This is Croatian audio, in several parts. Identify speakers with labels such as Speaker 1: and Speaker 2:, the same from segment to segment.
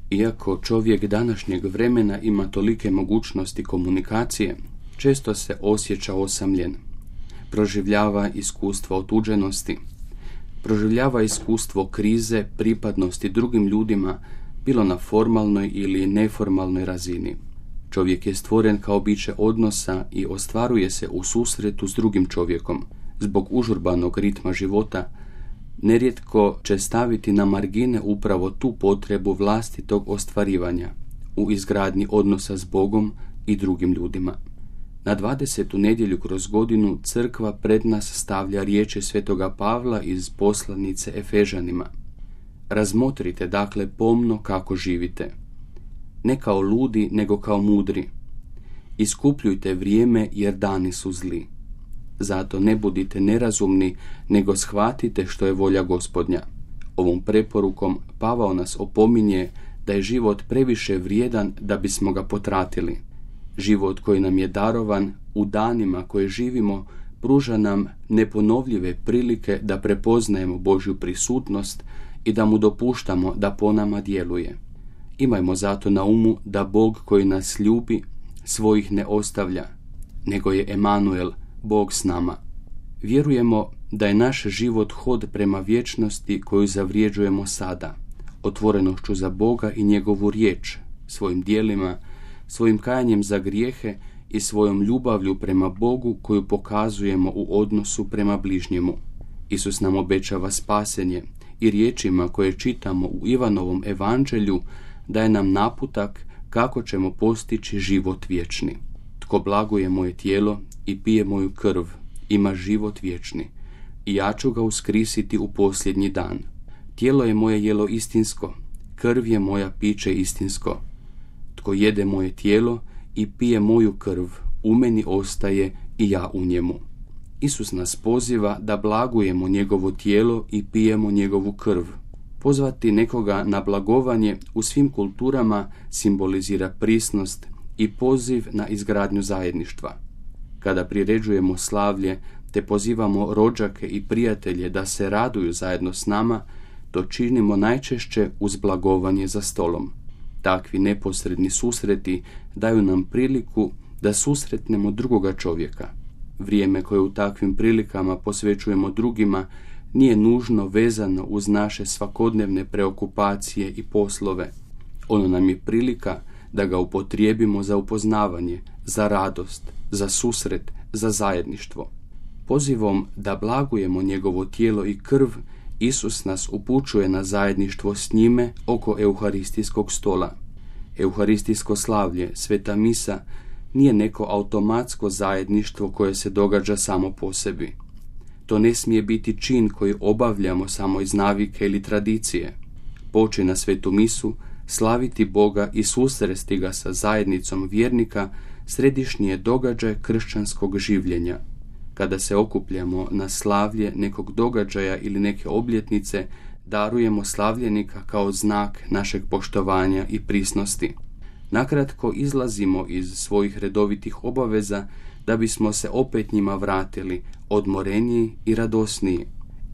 Speaker 1: Iako čovjek današnjeg vremena ima tolike mogućnosti komunikacije, često se osjeća osamljen. Proživljava iskustvo otuđenosti, proživljava iskustvo krize, pripadnosti drugim ljudima, bilo na formalnoj ili neformalnoj razini. Čovjek je stvoren kao biće odnosa i ostvaruje se u susretu s drugim čovjekom. Zbog užurbanog ritma života, nerijetko će staviti na margine upravo tu potrebu vlastitog ostvarivanja u izgradnji odnosa s Bogom i drugim ljudima. Na 20. nedjelju kroz godinu crkva pred nas stavlja riječi svetoga Pavla iz poslanice Efežanima. Razmotrite dakle pomno kako živite. Ne kao ludi, nego kao mudri. Iskupljujte vrijeme jer dani su zli. Zato ne budite nerazumni, nego shvatite što je volja Gospodnja. Ovom preporukom Pavao nas opominje da je život previše vrijedan da bismo ga potratili. Život koji nam je darovan u danima koje živimo pruža nam neponovljive prilike da prepoznajemo Božju prisutnost i da mu dopuštamo da po nama djeluje. Imajmo zato na umu da Bog koji nas ljubi svojih ne ostavlja, nego je Emanuel, Bog s nama. Vjerujemo da je naš život hod prema vječnosti koju zavrijeđujemo sada, otvorenošću za Boga i njegovu riječ, svojim djelima, svojim kajanjem za grijehe i svojom ljubavlju prema Bogu koju pokazujemo u odnosu prema bližnjemu. Isus nam obećava spasenje i riječima koje čitamo u Ivanovom evanđelju daje nam naputak kako ćemo postići život vječni. Tko blaguje moje tijelo i pije moju krv, ima život vječni, i ja ću ga uskrisiti u posljednji dan. Tijelo je moje jelo istinsko, krv je moja piće istinsko. Tko jede moje tijelo i pije moju krv, u meni ostaje i ja u njemu. Isus nas poziva da blagujemo njegovo tijelo i pijemo njegovu krv. Pozvati nekoga na blagovanje u svim kulturama simbolizira prisnost i poziv na izgradnju zajedništva. Kada priređujemo slavlje te pozivamo rođake i prijatelje da se raduju zajedno s nama, to činimo najčešće uz blagovanje za stolom. Takvi neposredni susreti daju nam priliku da susretnemo drugoga čovjeka. Vrijeme koje u takvim prilikama posvećujemo drugima nije nužno vezano uz naše svakodnevne preokupacije i poslove. Ono nam je prilika da ga upotrijebimo za upoznavanje, za radost, za susret, za zajedništvo. Pozivom da blagujemo njegovo tijelo i krv, Isus nas upućuje na zajedništvo s njime oko euharistijskog stola. Euharistijsko slavlje, sveta misa, nije neko automatsko zajedništvo koje se događa samo po sebi. To ne smije biti čin koji obavljamo samo iz navike ili tradicije. Poći na svetu misu, slaviti Boga i susresti ga sa zajednicom vjernika središnji je događaj kršćanskog življenja. Kada se okupljamo na slavlje nekog događaja ili neke obljetnice, darujemo slavljenika kao znak našeg poštovanja i prisnosti. Nakratko izlazimo iz svojih redovitih obaveza da bismo se opet njima vratili, odmoreniji i radosniji.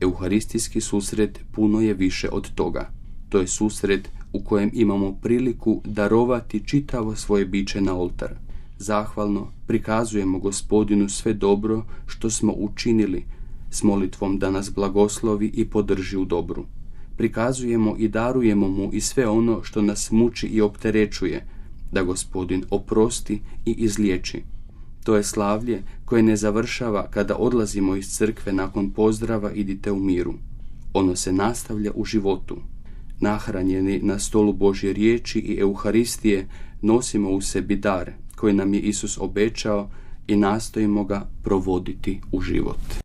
Speaker 1: Euharistijski susret puno je više od toga. To je susret u kojem imamo priliku darovati čitavo svoje biće na oltar. Zahvalno prikazujemo Gospodinu sve dobro što smo učinili, s molitvom da nas blagoslovi i podrži u dobru. Prikazujemo i darujemo mu i sve ono što nas muči i opterećuje, da Gospodin oprosti i izliječi. To je slavlje koje ne završava kada odlazimo iz crkve nakon pozdrava idite u miru. Ono se nastavlja u životu. Nahranjeni na stolu Božje riječi i Euharistije nosimo u sebi dar koji nam je Isus obećao i nastojimo ga provoditi u život.